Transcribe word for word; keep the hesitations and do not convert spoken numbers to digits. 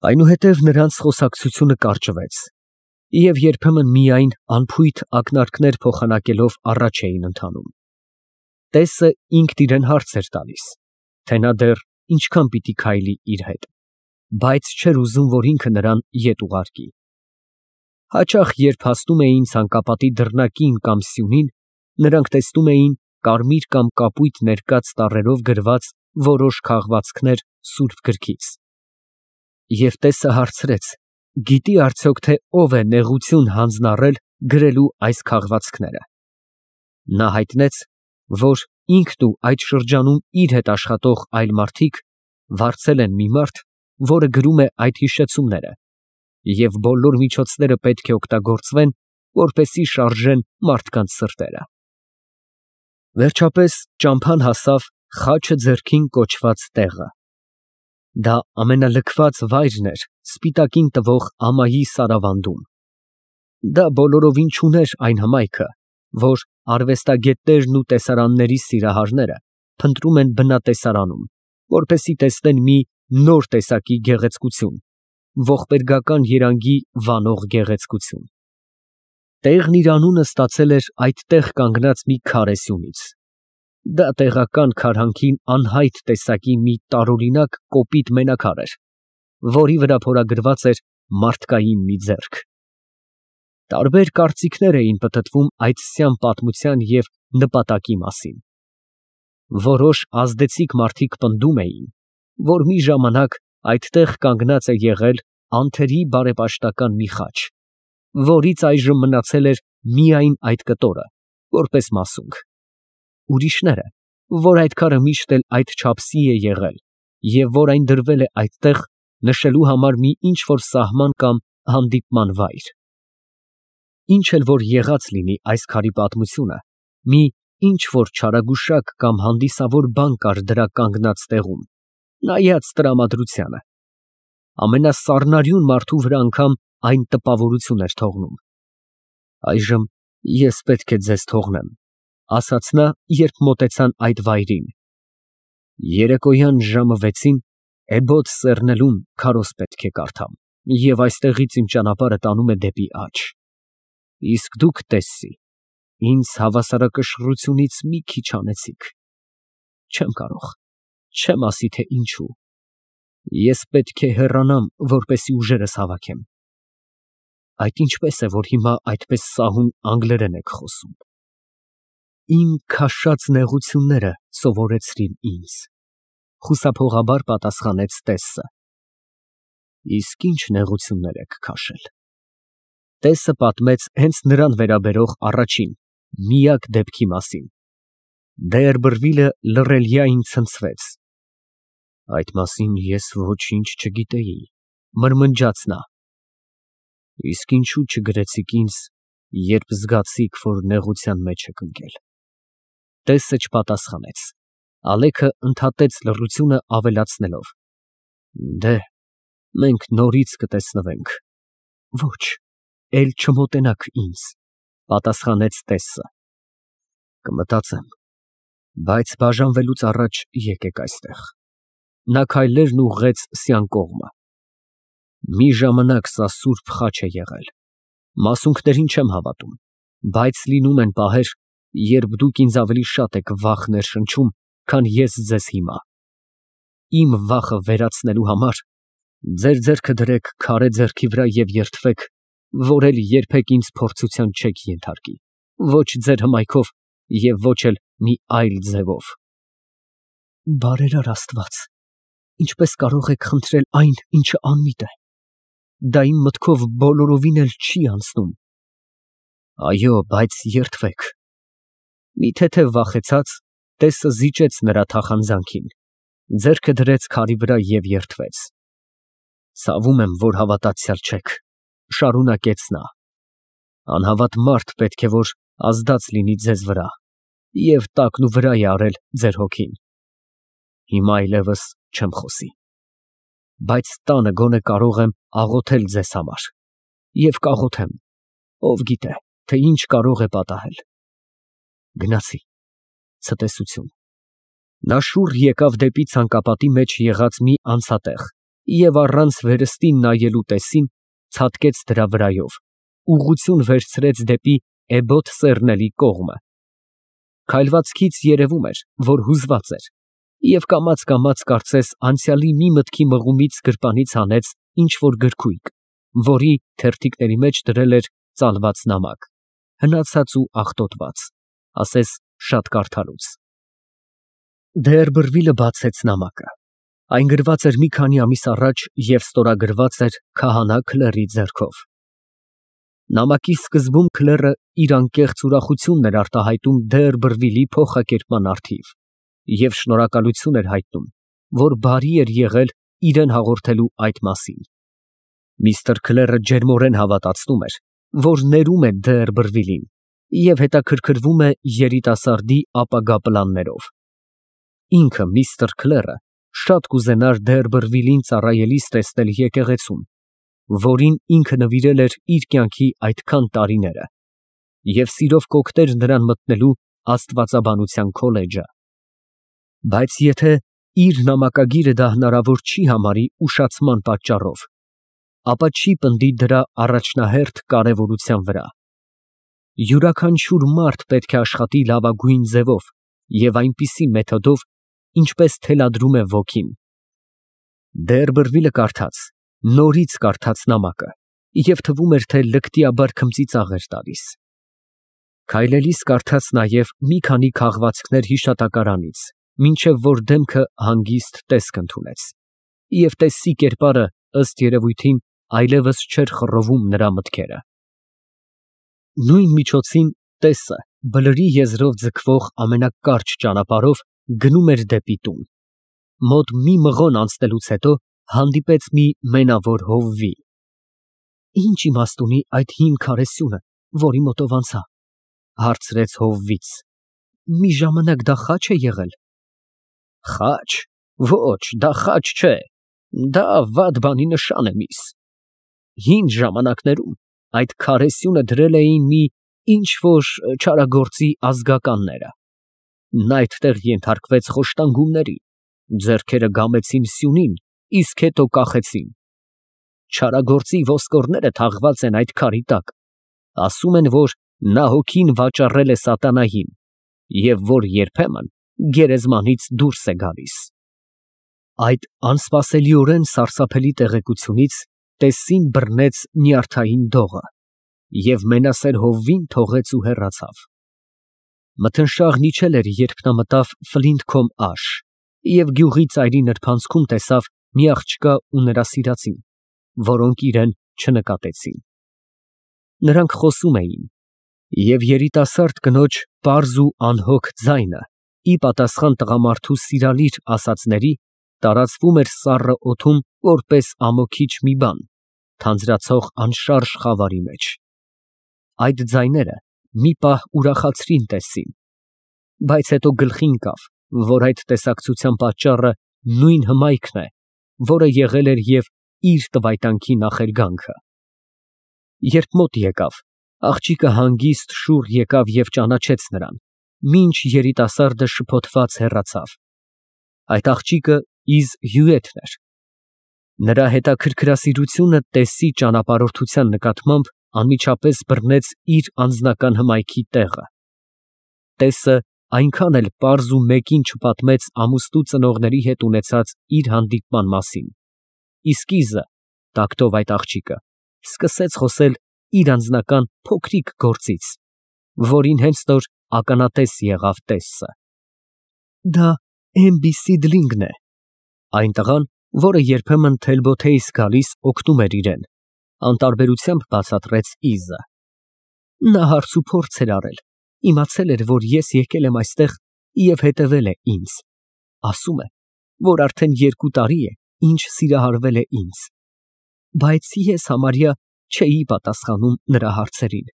Այնուհետև նրանց խոսակցությունը կարճվեց, և երբեմն միայն անփույթ ակնարկներ փոխանակելով առաջ էին ընթանում. Տեսը ինքն իրան հարց էր տալիս, թե նա դեռ ինչքան պիտի քայլի իր հետ, բայց չէր ուզում, որ ինքը նրան ետ ուղարկի։ Հաճախ, երբ հասնում էին ցանկապատի դռնակին կամ սյունին, նրանք տեսնում էին կարմիր կամ կապույտ ներկած տառերով գրված որոշ քաղվածքներ սուրբ գրքից։ Եվ տեսը հարցրեց. գիտի արդյոք, թե ով է նեղություն հանձնարարել գրելու այս քաղվածքները։ Նա հայտնեց, որ ինքն ու այդ շրջանում իր հետ աշխատող այլ մարդիկ վարձել են մի մարդ, որը գրում է այդ հիշեցումները, և բոլոր միջոցները պետք է օգտագործվեն, որպեսզի շարժեն մարդկանց սրտերը։ Վերջապես ճամփան հասավ Խաչը ձեռքին կոչված տեղը։ Դա ամենալքված վայրն էր սպիտակին տվող ամայի սարավանդում։ Դա բոլորովին չուներ այն հմայքը, որ արվեստագետներն ու տեսարանների սիրահարները փնտրում են բնատեսարանում, որպեսզի տեսնեն մի նոր տեսակի գեղեցկություն, ողբերգական երանգի վանող գեղեցկություն։ Տեղն իր անունը ստացել էր այդտեղ կանգնած մի քարե սյունից։ Դա տեղական քարհանքին անհայտ տեսակի մի տարօրինակ կոպիտ մենակար էր, որի վրա փորագրված էր մարդկային մի ձեռք։ Տարբեր կարծիքներ էին պտտվում այդ սյան պատմության և նպատակի մասին։ Որոշ ազդեցիկ մարդիկ պնդում էին, որ մի ժամանակ այդտեղ կանգնած է եղել անթերի բարեպաշտական մի խաչ, որից այժմ մնացել էր միայն այդ կտորը, որպես մասունք։ Ուրիշները, որ այդ քարը միշտ էլ այդ չափսի է եղել և որ այն դրվել է այդտեղ նշելու համար մի ինչ֊որ սահման կամ հանդիպման վայր։ Ինչ էլ որ եղած լինի այս քարի պատմությունը, մի ինչ֊որ չարագուշակ կամ հանդիսավոր բան կար դրա կանգնած տեղում, նայած տրամադրությանը։ Ամենասառնարյուն մարդու վրա անգամ այն տպավորություն էր թողնում։ Այժմ ես պետք է ձեզ թողնեմ, ֊ ասաց նա, երբ մոտեցան այդ վայրին։ Երեկոյան ժամը վեցին էբոդ սեռնելուն քարոզ պետք է կարդամ, և այստեղից իմ ճանապարհը տանում է դեպի աջ։ Իսկ դուք, տեսսի, ինձ հավասարակշռությունից մի քիչ անեցիք։ Չեմ կարող, չեմ ասի, թե ինչու։ Ես պետք է հեռանամ, որպեսզի ուժերս հավաքեմ։ Այդ ինչպես է, որ հիմա այդպես սահուն անգլերեն եք խոսում։ Իմ քաշած նեղությունները սովորեցրին ինձ, ֊ խուսափողաբար պատասխանեց տեսը։ Իսկ ինչ նեղություններ եք քաշել։ Տեսը պատմեց հենց նրան վերաբերող առաջին, միակ դեպքի մասին։ Դեյերբրվիլը լռելյային ցնցվեց։ Այդ մասին ես ոչինչ չգիտեի, ֊ մրմնջաց նա։ Իսկ ինչու չգրեցիք ինձ, երբ զգացիք, որ նեղության մեջ եք ընկել։ Տեսը չպատասխանեց։ Ալեքը ընդհատեց լռությունը ավելացնելով. Դե, մենք նորից կտեսնվենք։ Ոչ, էլ չմոտենաք ինձ, ֊ պատասխանեց տեսը։ Կմտածեմ, բայց բաժանվելուց առաջ եկեք այստեղ։ Նա քայլերն ուղղեց սյան կողմը։ Մի ժամանակ սա սուրբ խաչ է եղել։ Մասունքներին չեմ հավատում, բայց լինում են պահեր, երբ դուք ինձ ավելի շատ եք վախ ներշնչում, քան ես ձեզ հիմա։ Իմ վախը վերացնելու համար ձեր ձեռքը դրեք քարե ձեռքի վրա և երդվեք, որ էլ երբեք ինձ փորձության չեք ենթարկի, ոչ ձեր հմայքով և ոչ էլ մի այլ ձևով։ Բարերար Աստված, ինչպես կարող եք խնդրել այն, ինչը անմիտ է։ Դա իմ մտքով բոլորովին էլ չի անցնում։ Այո, բայց երդվեք։ Մի թեթև վախեցած, տեսը զիջեց նրա թախանձանքին, ձեռքը դրեց քարի վրա և երդվեց։ Ցավում եմ, որ հավատացյալ չեք, ֊ շարունակեց նա։ Անհավատ մարդ պետք է որ ազդած լինի ձեզ վրա և տակնուվրա է արել ձեր հոգին։ Հիմա այլևս չեմ խոսի, բայց տանը գոնե կարող եմ աղոթել ձեզ համար և կաղոթեմ, ով գիտե, թե ինչ կարող է պատահել։ Գնացի, ցտեսություն։ Նա շուռ եկավ դեպի ցանկապատի մեջ եղած մի անցատեղ և առանց վերստին նայելու տեսին, ցատկեց դրա վրայով, ուղղություն վերցրեց դեպի էբոդ սեռնելի կողմը։ Քայլվածքից երևում էր, որ հուզված էր, և կամաց֊կամաց կարծես անցյալի մի մտքի մղումից գրպանից հանեց ինչ֊որ գրքույկ, որի թերթիկների մեջ դրել էր ծալված նամակ, հնացած ու աղտոտված, ասես շատ կարդալուց։ Դ'Երբերվիլը բացեց նամակը։ Այն գրված էր մի քանի ամիս առաջ և ստորագրված էր քահանա Քլերի ձեռքով։ Նամակի սկզբում քլերը իր անկեղծ ուրախությունն էր արտահայտում Դ'Երբերվիլի փոխակերպման առթիվ և շնորհակալություն էր հայտնում, որ բարի էր եղել իրեն հաղորդելու այդ մասին։ Միստր Քլերը ջերմորեն հավատացնում էր, որ ներում է Դ'Երբերվիլին և հետաքրքրվում է երիտասարդի ապագա պլաններով։ Ինքը միստր Քլերը շատ կուզենար Դ'Երբերվիլին ծառայելիս տեսնել եկեղեցում, որին ինքը նվիրել էր իր կյանքի այդքան տարիները, և սիրով կօգներ նրան մտնելու աստվածաբանության քոլեջը։ Բայց եթե իր նամակագիրը դա հնարավոր չի համարի ուշացման պատճառով, ապա չի պնդի դրա առաջնահերթ կարևորության վրա։ Յուրաքանչյուր մարդ պետք է աշխատի լավագույն ձևով և այնպիսի մեթոդով, ինչպես թելադրում է ոգին։ Դ'Երբերվիլը կարդաց, նորից կարդաց նամակը և թվում էր, թե լկտիաբար քմծիծաղ էր տալիս։ Քայլելիս կարդաց նաև մի քանի քաղվածքներ հիշատակարանից, մինչև որ դեմքը հանգիստ տեսք ընդունեց, և տեսի կերպարը, ըստ երևույթին, այլևս չէր խռովում նրա մտքերը։ Նույն միջոցին տեսը Բլրի եզրով ձգվող ամենակարճ ճանապարհով գնում էր դեպի տուն։ Մոտ մի մղոն անցնելուց հետո հանդիպեց մի մենավոր հովվի։ «Ի՞նչ իմաստ ունի այդ հին քարե սյունը, որի մոտով անցա», ֊ հարցրեց հովվից։ «Մի ժամանակ դա խաչ է եղել»։ «Խաչ, ոչ, դա խաչ չէ, դա վատ բանի նշան է, միս։ Հին ժամանակներում այդ քարե սյունը դրել էին մի ինչ֊որ չարագործի ազգականները։ Նա այդտեղ ենթարկվեց խոշտանգումների, ձեռքերը գամեցին սյունին, իսկ հետո կախեցին։ Չարագործի ոսկորները թաղված են այդ քարի տակ, ասում են, որ նա հոգին վաճառել է սատանային, և որ երբեմն գերեզմանից դուրս է գալիս»։ Այդ անսպասելիորեն սարսափելի տեղեկությունից տեսին բռնեց նյարդային դողը, և մենասեր հովվին թողեց ու հեռացավ։ Մթնշաղն իջել էր, երբ նա մտավ Ֆլինթքոմ աշ և գյուղի ծայրի նրբանցքում տեսավ մի աղջկա ու նրա սիրածին, որոնք իրան չնկատեցին։ Նրանք խոսում էին, և երիտասարդ կնոջ պարզ ու անհոգ ձայնը, ի պատասխան տղամարդու սիրալիր ասածների, տարածվում էր սառը օդում որպես ամոքիչ մի բան, թանձրացող անշարժ խավարի մեջ։ Այդ ձայները մի պահ ուրախացրին տեսին, բայց հետո գլխին ընկավ, որ այդ տեսակցության պատճառը նույն հմայքն է, որը եղել էր և իր տվայտանքի նախերգանքը։ Երբ մոտ եկավ, աղջիկը հանգիստ շուռ եկավ և ճանաչեց նրան, մինչ երիտասարդը շփոթված հեռացավ։ Այդ աղջիկը Իզ Հյուետն էր։ Նրա հետաքրքրասիրությունը տեսի ճանապարհորդության նկատմամբ անմիջապես բռնեց իր անձնական հմայքի տեղը։ Տեսը այնքան էլ պարզ ու մեկին չպատմեց ամուսնու ծնողների հետ ունեցած իր հանդիպման մասին, իսկ Իզը, տակտով այդ աղջիկը, սկսեց խոսել իր անձնական փոքրիկ գործից, որին հենց նոր ականատես եղավ տեսը։ Դա Էմբի Սիդլինգն է, այն տղան, որը երբեմն Թելբոթեյս գալիս օգնում էր իրեն, անտարբերությամբ բացատրեց Իզը։ Նա հարց ու փորձ էր արել, իմացել էր, որ ես եկել եմ այստեղ և հետևել է ինձ, ասում է, որ արդեն երկու տարի է, ինչ սիրահարվել է ինձ, բայց ես համարյա չէի պատասխանում նրա հարցերին։